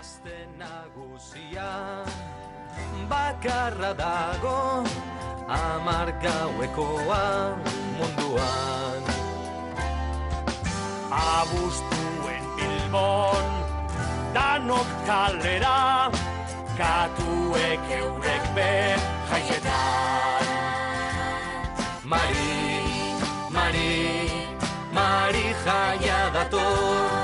Gazte nagusia bakarra dago 10 gauekoa munduan. Abuztuen Bilbon danok kalera, katuek eurek be jaietan. Mari jaia dator.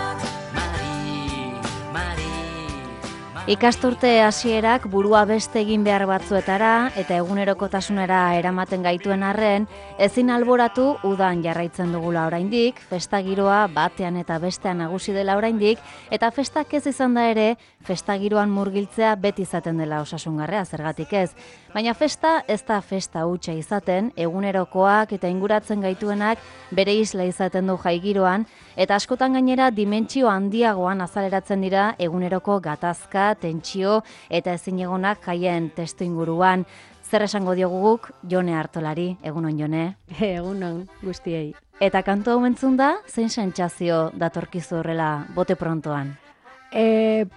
Ikasturte hasierak burua beste egin behar batzuetara eta egunerokotasunera eramaten gaituen arren, ezin alboratu udan jarraitzen dugula oraindik, festa giroa batean eta bestean nagusi dela oraindik, eta festak ez izan da ere, festa giroan murgiltzea beti izaten dela osasungarrea, zergatik ez. Baina festa ez da festa hutsa izaten, egunerokoak eta inguratzen gaituenak bere isla izaten du jai giroan, eta askotan gainera dimentsio handiagoan azaleratzen dira eguneroko gatazka, tentsio eta ezinegonak jaien testu inguruan. Zer esango diogu guk Jone Artolari, egunon Jone? Egunon guztiei. Eta kantu hau entzun da, zein sentsazio datorkizu horrela bote prontoan?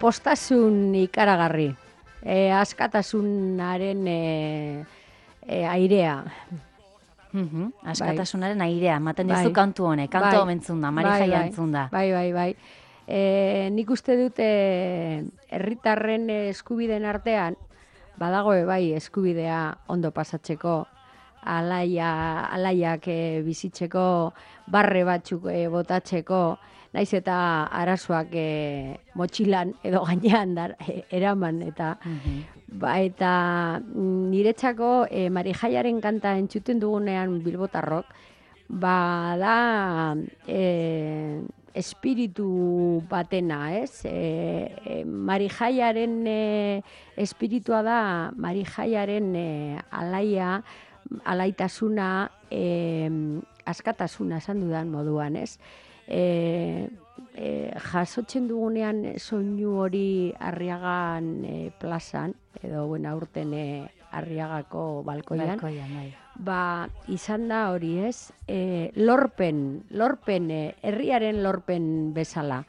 Postasun ikaragarri, askatasunaren airea. Askatasunaren airea, ematen dizu kantu honek, kantu hau entzun da, Mari jaia entzun da. Bai. Nik uste dute herritarren eskubideen artean, badago bai eskubidea ondo pasatzeko, alaiak bizitzeko, barre batzuk botatzeko, naiz eta arazoak motxilan edo gainean eraman eta eta niretzako Mari jaiaren kanta entzuten dugunean bilbotarrok, da espiritu batena, ez? Mari jaiaren espiritua da Mari jaiaren alaitasuna, askatasuna esan dudan moduan, ez? Jasotzen dugunean soinu hori Arriagan plazan, edo aurten Arriagako balkoian, izan da hori, ez? Lorpen, herriaren lorpen bezala.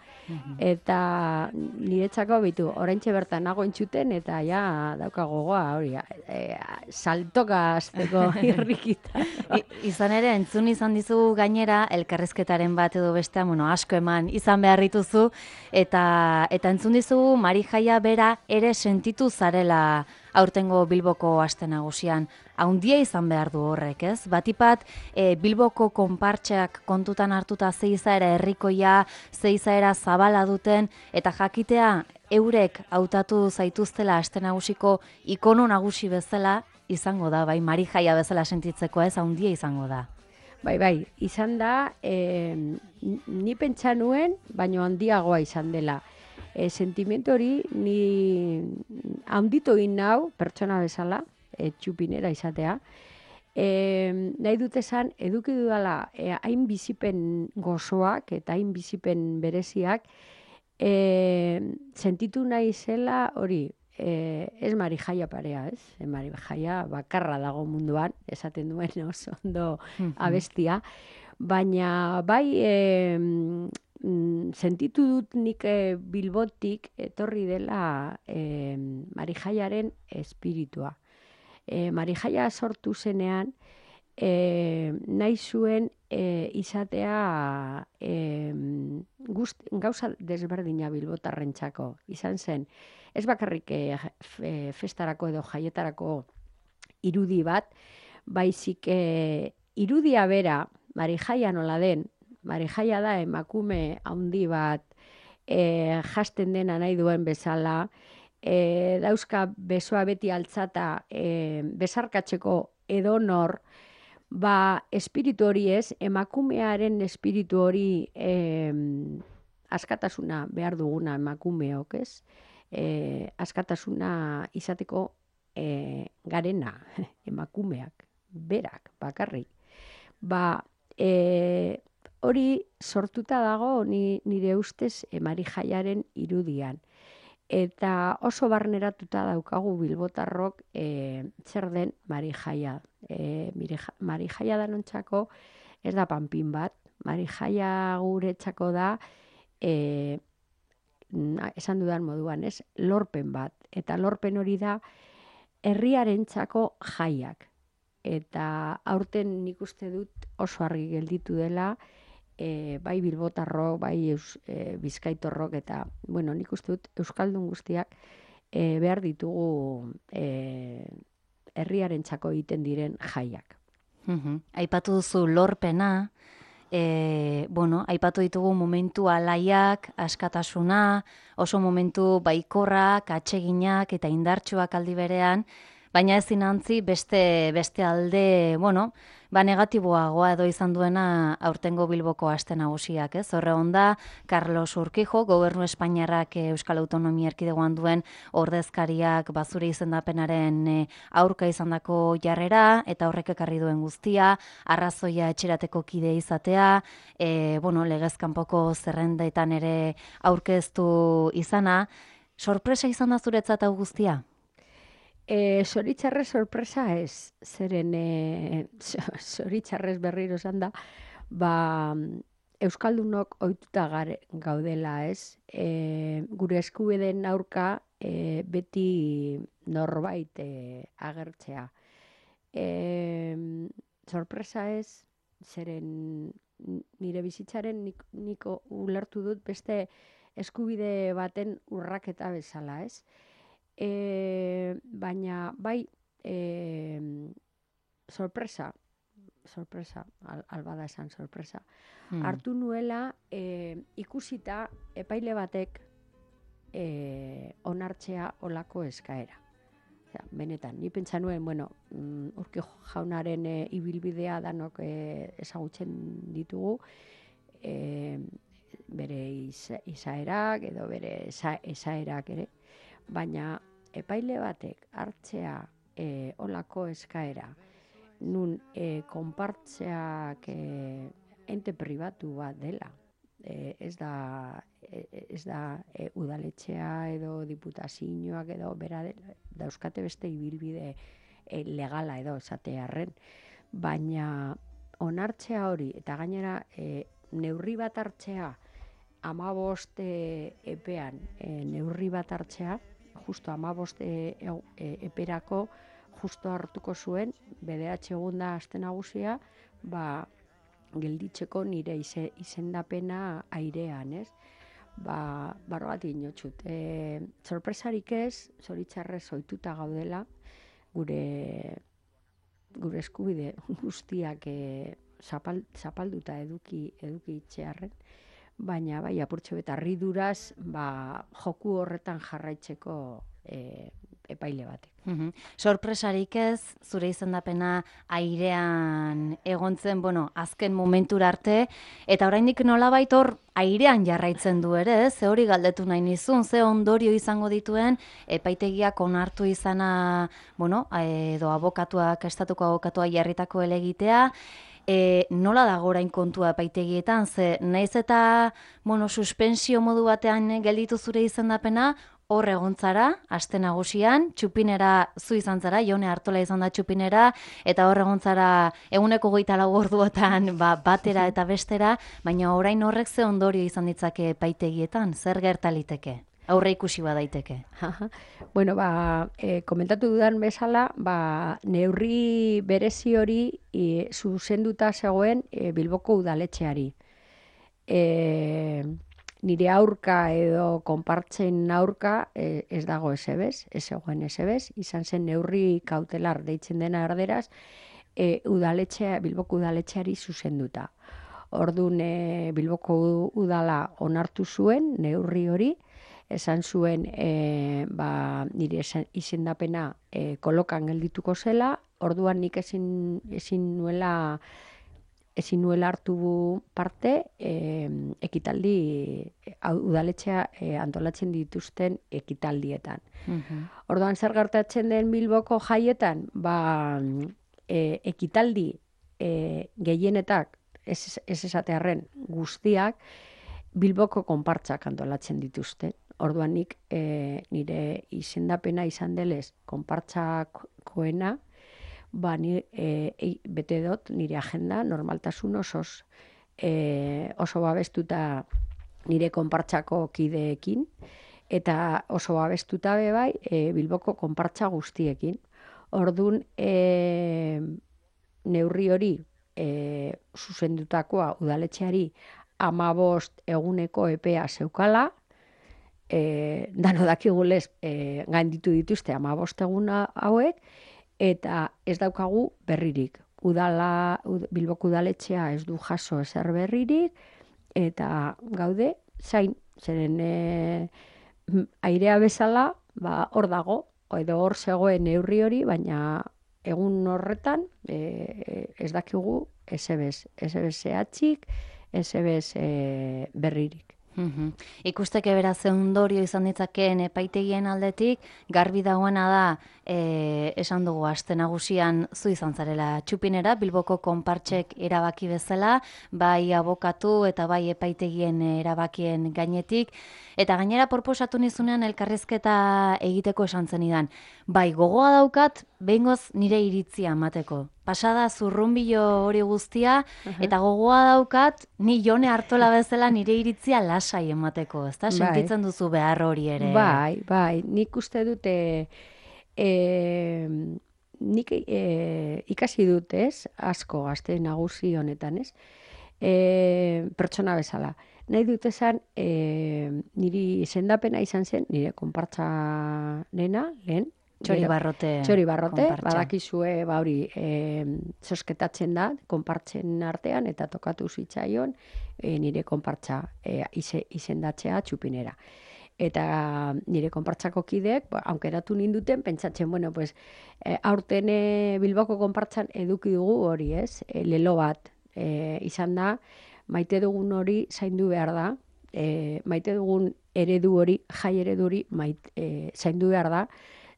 Eta niretzako bitu, oraintxe bertan nago entzuten, eta ja daukagogoa hori, saltoka azteko irrikita. Izan ere, entzun izan dizu gainera, elkarrezketaren bat edo bestea, asko eman izan behar dituzu, eta entzun dizu Mari jaia bera ere sentitu zarela aurtengo Bilboko aste nagusian. Haundia izan behar du horrek, ez? Batipat, Bilboko konpartxeak kontutan hartuta ze izaera herrikoia, ze izaera zabala duten, eta jakitea eurek hautatu zaituztela aste nagusiko ikono nagusi bezala izango da, bai, Mari jaia bezala sentitzeko, ez? Haundia izango da. Bai, izan da, ni pentsa nuen, baino handiagoa izan dela. Sentimiento hori ni handitu egin nau, pertsona bezala, txupinera izatea. Nahi dut esan, eduki dudala hain bizipen gozoak eta hain bizipen bereziak, sentitu nahi zela hori, ez Mari jaia parea, ez? Mari jaia bakarra dago munduan, esaten duen oso ondo abestia, baina bai sentitu dut nik Bilbotik etorri dela Mari jaiaren espiritua. Mari jaia sortu zenean, nahi zuen izatea gauza desberdina bilbotarrentzako. Izan zen, ez bakarrik festarako edo jaietarako irudi bat, baizik irudia bera, Mari jaia nola den, Mari jaia da emakume handi bat, jasten dena nahi duen bezala, dauzka besoa beti altzata besarkatzeko edonor, espiritu hori ez, emakumearen espiritu hori askatasuna behar duguna emakumeok, ez? Askatasuna izateko garena, emakumeak, berak, bakarrik. Hori sortuta dago nire ustez Mari jaiaren irudian. Eta oso barneratuta daukagu bilbotarrok zer den Mari jaia. Mari jaia danontzako ez da panpin bat. Mari jaia guretzako da esan dudan moduan, ez, lorpen bat. Eta lorpen hori da herriarentzako jaiak. Eta aurten nik uste dut oso argi gelditu dela, bai bilbotarrok, bai bizkaitorrok, eta, bueno, nik uste dut euskaldun guztiak behar ditugu herriarentzako egiten diren jaiak. Aipatu duzu lorpena, aipatu ditugu momentu alaiak, askatasuna, oso momentu baikorrak, atseginak eta indartsuak aldi berean, baina ezin antzi beste alde, negatiboagoa edo izan duena aurtengo Bilboko aste nagusiak, ez? Horre onda, Carlos Urquijo, Gobernu Espainiarrak Euskal Autonomia Erkidegoan duen ordezkariak bazure izendapenaren aurka izandako jarrera, eta horrek ekarri duen guztia, arrazoia etxerateko kide izatea, legez kanpoko zerrendetan ere aurkeztu izana. Sorpresa izan da zuretzat hau guztia? Zoritxarrez sorpresa ez, zeren zoritxarrez berriro esan da, Euskaldunok ohituta gaudela, ez? Gure eskubideen aurka beti norbait agertzea. Sorpresa ez, zeren nire bizitzaren niko ulertu dut beste eskubide baten urraketa bezala, ez? Baina bai sorpresa, albada esan sorpresa, hartu nuela ikusita epaile batek onartzea olako eskaera. Benetan, ni pentsa nuen, Urquijo jaunaren ibilbidea danok ezagutzen ditugu, bere izaerak edo bere esaerak ere, baina epaile batek hartzea olako eskaera, nun konpartzeak ente pribatu bat dela. Ez da udaletxea edo diputazioak edo bera dauzkate beste ibilbide legala edo esatearren, baina onartzea hori eta gainera neurri bat hartzea 15 epean neurri bat hartzea, justo 15 eperako justo hartuko zuen, BDH egun da aste nagusia, gelditzeko nire izendapena airean, ez? Barrogatik inotxut. Sorpresarik ez, zoritxarrez ohituta gaudela, gure eskubide guztiak zapalduta eduki itxearren, baina bai apurtxo eta harriduraz joku horretan jarraitzeko epaile batek. Sorpresarik ez, zure izendapena airean egontzen, azken momentura arte, eta oraindik nolabait hor airean jarraitzen du ere, ze hori galdetu nahi nizun, ze ondorio izango dituen epaitegiak onartu izana, edo estatuko abokatua jarritako helegitea, nola dago orain kontua epaitegietan, ze naiz eta suspensio modu batean gelditu zure izendapena, hor egontzara, aste nagusian, txupinera zu izan zara, Jone Artola izan da txupinera, eta hor egontzara eguneko 24 orduotan batera eta bestera, baina orain horrek ze ondorio izan ditzake epaitegietan, zer gertaliteke? Aurre ikusi badaiteke. Komentatu dudan bezala, neurri berezi hori zuzenduta zegoen Bilboko udaletxeari. Nire aurka edo konpartzen aurka ez dago esebez, ez zegoen esebez, izan zen neurri kautelar deitzen dena erderaz, Bilboko udaletxeari zuzenduta. Orduan Bilboko udala onartu zuen neurri hori, esan zuen nire izendapena kolokan geldituko zela, orduan nik ezin nuela hartu parte ekitaldi udaletxea antolatzen dituzten ekitaldietan. Orduan zer gertatzen den Bilboko jaietan, ekitaldi gehienetak ez esatearren guztiak Bilboko konpartzak antolatzen dituzte. Orduan nik nire izendapena izan delez konpartzakoena, bete dut nire agenda normaltasun oso babestuta nire konpartsako kideekin, eta oso abestuta be bai Bilboko konpartsa guztiekin. Ordun neurri hori zuzendutakoa udaletxeari 15 eguneko epea zeukala, dano dakigulez gainditu dituzte 15 egun hauek, eta ez daukagu berririk. Bilboko udaletxea ez du jaso ezer berririk, eta gaude zain, zeren airea bezala, hor dago, edo hor zegoen neurri hori, baina egun horretan ez dakigu esebez zehatzik, esebez berririk. Ikusteke beraz ondorio izan ditzakeen epaitegien aldetik, garbi dagoena da, esan dugu aste nagusian zu izan zarela txupinera, Bilboko konpartsek erabaki bezala, bai abokatu eta bai epaitegien erabakien gainetik, eta gainera proposatu nizunean elkarrizketa egiteko esan zenidan. Bai, gogoa daukat, behingoz nire iritzia emateko. Pasada zurrunbilo hori guztia, eta gogoa daukat, ni Jone Artola bezala nire iritzia lasai emateko, ezta? Sentitzen duzu behar hori ere. Bai, nik uste dute, nik ikasi dut, ez? Asko gazte nagusi honetan, ez? Pertsona bezala. Nahi dut esan, niri izendapena izan zen, nire konpartsa nena, lehen, Txori Barrote, badakizue hori zosketatzen da, konpartzen artean, eta tokatu zitzaion nire konpartza izendatzea txupinera. Eta nire konpartzako kideek, aukeratu ninduten, pentsatzen, bueno, pues, aurten Bilboko konpartzan eduki dugu hori, ez? Lelo bat izan da, maite dugun hori zaindu behar da, maite dugun eredu hori, jai eredu hori zaindu behar da,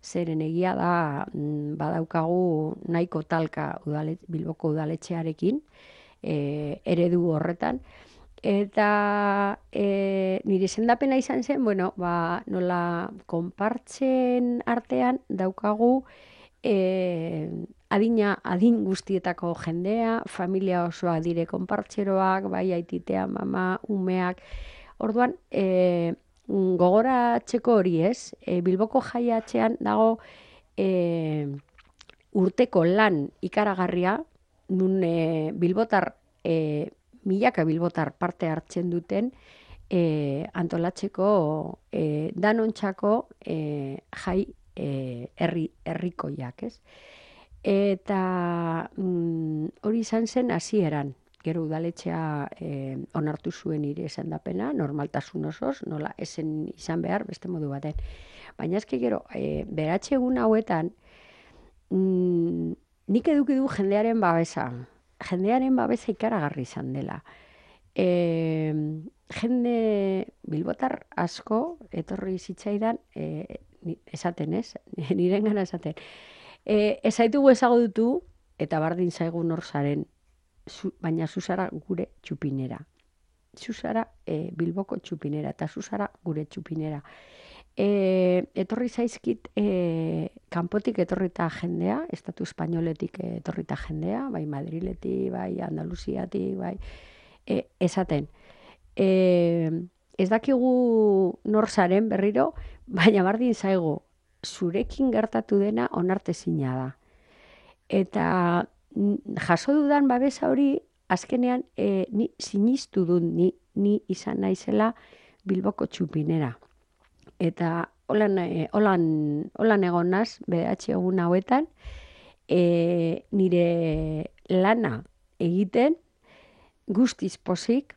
zeren egia da badaukagu nahiko talka Bilboko udaletxearekin eredu horretan. Eta nire izendapena izan zen, bueno, nola konpartzen artean daukagu adin guztietako jendea, familia osoa dire konpartzeroak, bai aititea, mama, umeak. Orduan, gogoratzeko hori, ez? Bilboko jaiatzean dago urteko lan ikaragarria, nun bilbotar, milaka bilbotar parte hartzen duten antolatzeko danontzako jai herrikoiak, ez? Eta hori izan zen hasieran. Gero udaletxea onartu zuen nire izendapena, normaltasun osoz, nola esen izan behar beste modu baten. Baina eske gero, beratxe egun hauetan, nik eduki du jendearen babesa. Jendearen babesa ikaragarri izan dela. Jende bilbotar asko, etorri zitzaidan, esaten ez, nirengana esaten. Ez zaitugu ezagutu, eta bardin zaigu nor zaren, baina zuzara gure txupinera. Zuzara Bilboko txupinera, eta zuzara gure txupinera. Etorri zaizkit kanpotik etorrita jendea, Estatu Espainoletik etorrita jendea, bai Madriletik, bai Andaluziatik, bai esaten. Ez dakigu nor zaren berriro, baina bardin zaigu zurekin gertatu dena onartezina da. Eta jaso dudan babesa hori, azkenean ni sinistu dut, ni izan naizela Bilboko txupinera. Eta holan egon naz, bederatzi egun hauetan, nire lana egiten, guztiz pozik,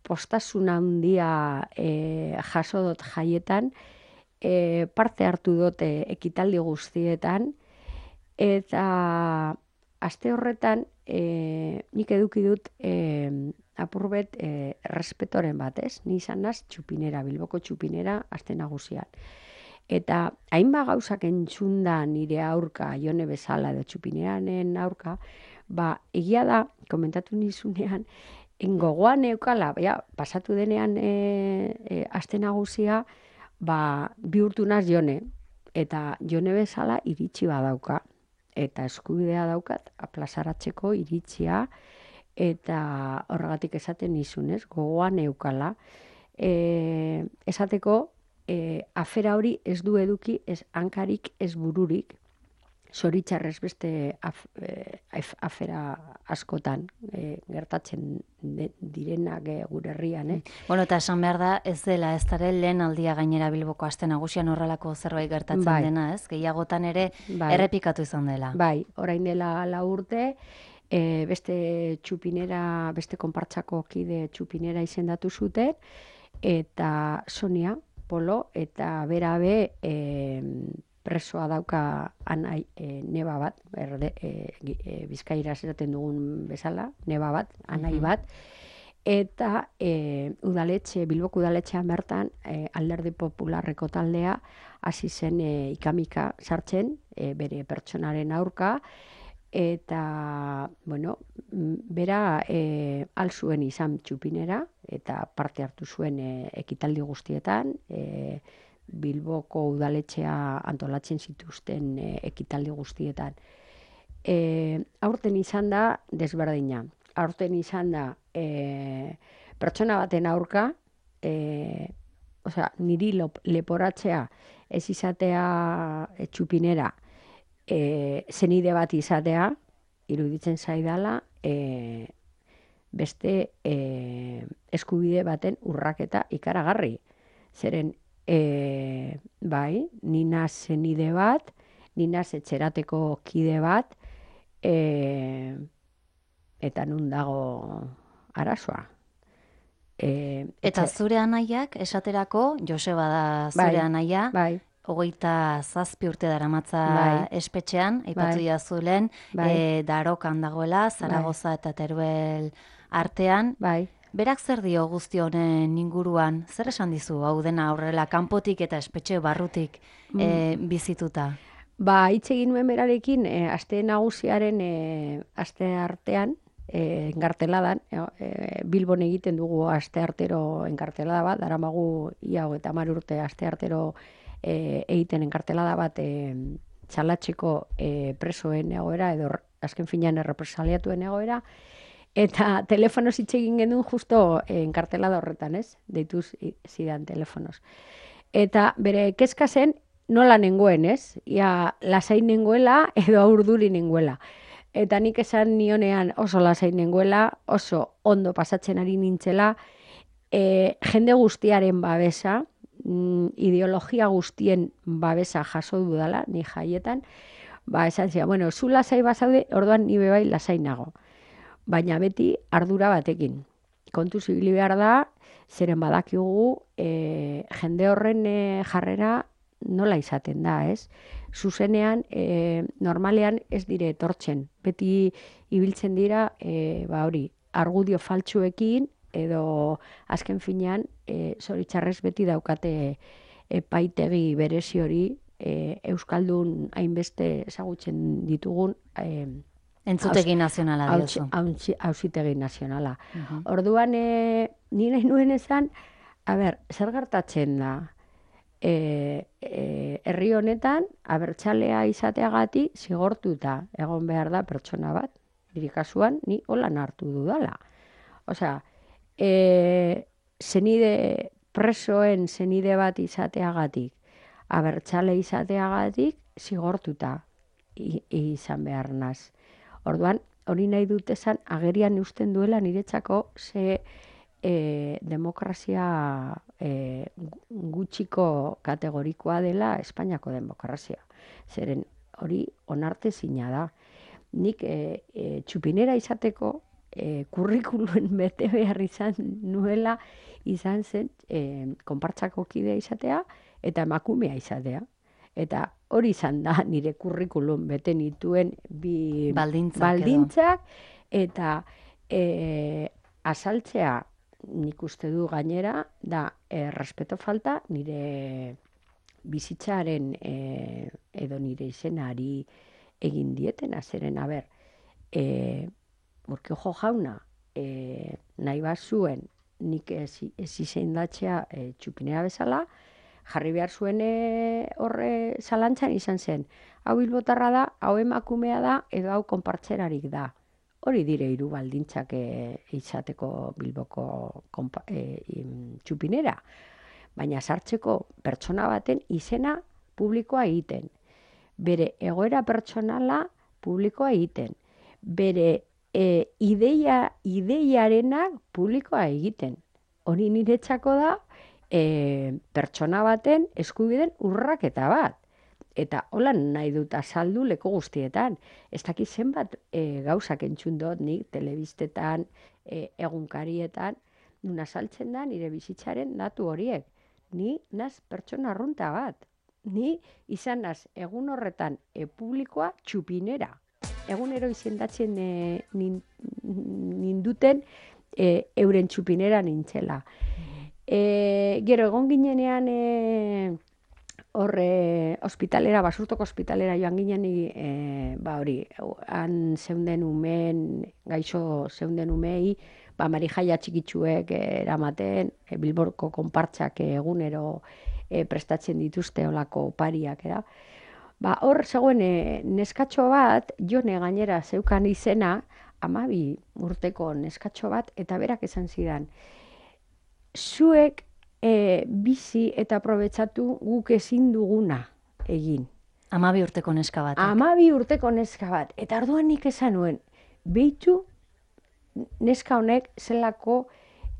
postasuna handia jaso dut jaietan, parte hartu dut ekitaldi guztietan, eta aste horretan nik eduki dut apurbet respetoren bat, ez? Ni izan naz txupinera, Bilboko txupinera, aste nagusian. Eta hainba gauzak entzunda nire aurka, Jone bezala edo txupineranen aurka, egia da, komentatu nizunean, gogoan eukala, pasatu denean aste nagusia, bihurtu naz Jone, eta Jone bezala iritsi badauka. Eta eskubidea daukat, plazaratzeko iritzia, eta horregatik esaten nizunez, gogoan eukala. esateko, afera hori ez du eduki, ez hankarik, ez bururik, zoritxarrez beste afera askotan gertatzen direnak gure herrian. Bueno, eta esan behar da, ez dela, ez dara lehen aldia gainera Bilboko aste nagusian horrelako zerbait gertatzen dena, ez? Gehiagotan ere errepikatu izan dela. Bai, orain dela 4 urte, beste txupinera, beste konpartsako kide txupinera izendatu zuten, eta Sonia Polo, eta berabe presoa dauka anai neba bat, Bizkairaz esaten dugun bezala, neba bat, anai bat, eta Bilboko udaletxean bertan Alderdi Popularreko taldea hasi zen ikamika sartzen bere pertsonaren aurka, eta, bueno, bera alzuen izan txupinera, eta parte hartu zuen ekitaldi guztietan, Bilboko udaletxea antolatzen zituzten ekitaldi guztietan. Aurten izan da desberdina. Aurten izan da pertsona baten aurka, niri leporatzea ez izatea txupinera, zenide bat izatea, iruditzen zaidala, beste eskubide baten urraketa ikaragarri. Zeren, bai, nina zenide bat, nina etxerateko kide bat, eta nun dago arazoa. Eta zure anaiak, esaterako, Joseba da zure anaia, 27 urte daramatza espetxean, aipatu diazu lehen, Darokan dagoela, Zaragoza eta Teruel artean. Berak zer dio guzti honen inguruan? Zer esan dizu, hau dena horrela, kanpotik eta espetxe barrutik bizituta? Hitz egin nuen berarekin, aste nagusiaren aste artean, enkarteladan, Bilbon egiten dugu aste artero enkartelada bat, daramagu ia 30 urte aste artero egiten enkartelada bat txalatzeko presoen egoera, edo azken finean errepresaliatuen egoera, eta telefonoz hitz egin genuen justo enkartelada horretan, ez? Deituz zidan telefonoz. Eta bere kezka zen nola nengoen, ez? Ia lasain nengoela edo urduri nengoela. Eta nik esan nionean oso lasain nengoela, oso ondo pasatzen ari nintzela, jende guztiaren babesa, ideologia guztien babesa jaso dudala, ni jaietan, esan zia, bueno, zu lasai bazaude, orduan ni bebai lasai nago. Baina beti ardura batekin. Kontu zibili behar da, zeren badakigu jende horren jarrera nola izaten da, ez? Zuzenean, normalean ez dire etortzen. Beti ibiltzen dira, argudio faltsuekin, edo azken finean, zoritxarrez beti daukate epaitegi berezi hori, Euskaldun hainbeste ezagutzen ditugun, Entzutegi nazionala diozu. Auzitegi nazionala. Orduan, ni nahi nuen esan, zer gertatzen da? Herri honetan, abertzalea izateagatik zigortuta egon behar da pertsona bat. Nire kasuan, ni holan hartu dudala. Osea, presoen zenide bat izateagatik, abertzale izateagatik zigortuta izan behar naz. Orduan, hori nahi dut esan, agerian eusten duela niretzako ze demokrazia gutxiko kategorikoa dela Espainiako demokrazia. Zeren hori onartezina da. Nik txupinera izateko kurrikuluen bete behar izan nuela izan zen konpartsako kidea izatea eta emakumea izatea. Eta hori izan da nire kurrikulum bete nituen bi baldintzak eta azaltzea nik uste du gainera da respeto falta nire bizitzaren edo nire izenari egin dietena, zeren, Urkiojo jauna nahi bat zuen nik ez izendatzea txupinera bezala, jarri behar zuen horre zalantzan izan zen. Hau bilbotarra da, hau emakumea da, edo hau konpartzerarik da. hori dire hiru baldintzak izateko Bilboko txupinera. Baina sartzeko pertsona baten izena publikoa egiten. Bere egoera pertsonala publikoa egiten. Bere ideiarena publikoa egiten. Hori niretzako da pertsona baten eskubideen urraketa bat. Eta hola nahi dut azaldu leku guztietan. Ez dakit zenbat gauzak entzun dut nik telebistetan, egunkarietan, nun azaltzen da nire bizitzaren datu horiek. Ni naz pertsona arrunta bat. Ni izan naz egun horretan publikoa txupinera. Egunero izendatzen ninduten euren txupinera nintzela. Gero egon ginenean ospitalera, Basurtoko ospitalera joan ginen han zeunden umeen, gaixo zeunden umei, marijaia txikitsuek eramaten, Bilboko konpartsak egunero prestatzen dituzte olako opariak, hor zegoen neskatxo bat, Jone gainera zeukan izena, 12 urteko neskatxo bat, eta berak esan zidan, zuek bizi eta aprobetxatu guk ezin duguna egin. 12 urteko neska bat. 12 urteko neska bat. Eta orduan nik esan nuen, behitu neska honek zelako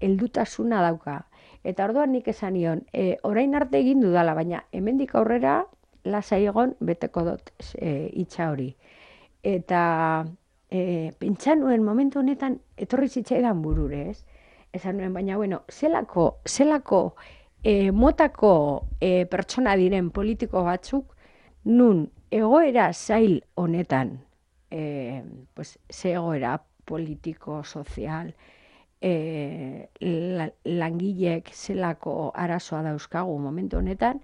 heldutasuna dauka. Eta orduan nik esan nion, orain arte egin dudala, baina hemendik aurrera lasai egon beteko dut hitza hori. Eta pentsa nuen momentu honetan etorri zitzaidan burure, ez? Esan nuen, baina, zelako motako pertsona diren politiko batzuk, nun egoera zail honetan, ze egoera politiko, sozial, langilek zelako arazoa dauzkagu momentu honetan,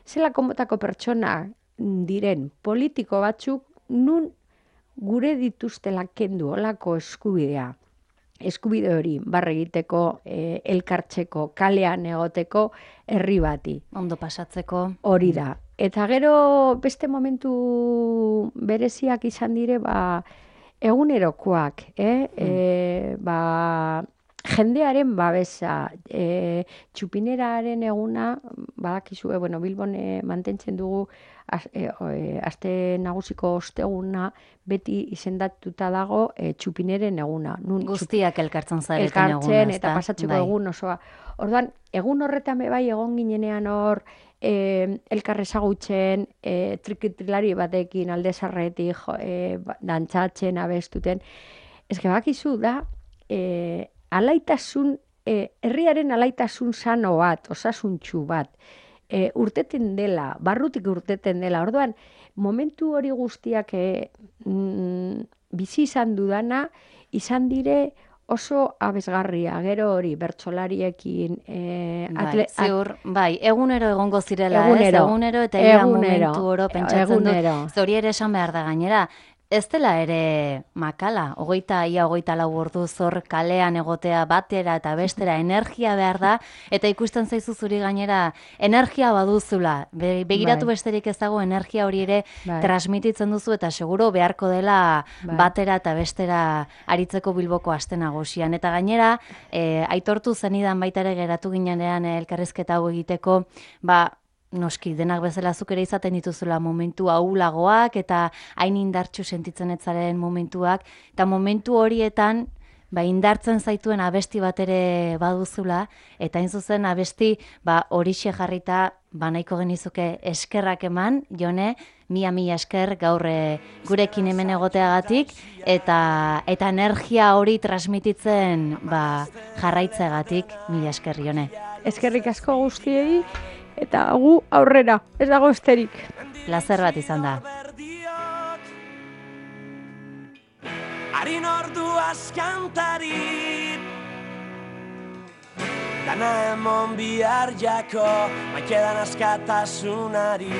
zelako motako pertsona diren politiko batzuk, nun gure dituztela kendu olako eskubidea. Eskubide hori barre egiteko, elkartzeko, kalean egoteko herri bati. Ondo pasatzeko. Hori da. Eta gero beste momentu bereziak izan dire, egunerokoak, jendearen babesa, txupineraren eguna, badakizue, Bilbon mantentzen dugu aste nagusiko osteguna beti izendatuta dago txupineren eguna. Guztiak elkartzen zareten eguna. Elkartzen eta pasatzeko egun osoa. Orduan, egun horretan bai egon ginenean hor, elkar ezagutzen, trikitrilari batekin alde zarretik, dantzatzen, abestuten. Ez bakizu da, alaitasun, herriaren alaitasun sano bat, osasuntsu bat, urteten dela, barrutik urteten dela. Orduan, momentu hori guztiak bizi izan dudana, izan dire oso abesgarria, gero hori, bertsolariekin. Ziur, egunero egongo zirela, egunero eta ia momentu oro pentsatzen dut. Zori ere esan behar da gainera. Ez dela ere makala, 24 ordu zor kalean egotea batera eta bestera energia behar da, eta ikusten zaizu zuri gainera energia baduzula. Begiratu besterik ez dago energia hori ere transmititzen duzu, eta seguro beharko dela batera eta bestera aritzeko Bilboko aste nagusian. Eta gainera, aitortu zenidan baita ere geratu ginenean elkarrizketa hau egiteko, noski, denak bezala zuk ere izaten dituzula momentu ahulagoak eta hain indartsu sentitzen etzaren momentuak, eta momentu horietan indartzen zaituen abesti bat ere baduzula, eta hain zuzen abesti horixe jarrita nahiko genizuke eskerrak eman, Jone, mila esker gaur gurekin hemen egoteagatik, eta energia hori transmititzen jarraitzeagatik, mila esker, Jone. Eskerrik asko guztiei, eta gu aurrera, ez dago esterik. Plazer bat izan da. Harin ordu askantarit, dana emon bihar jako, maikedan askatasunari.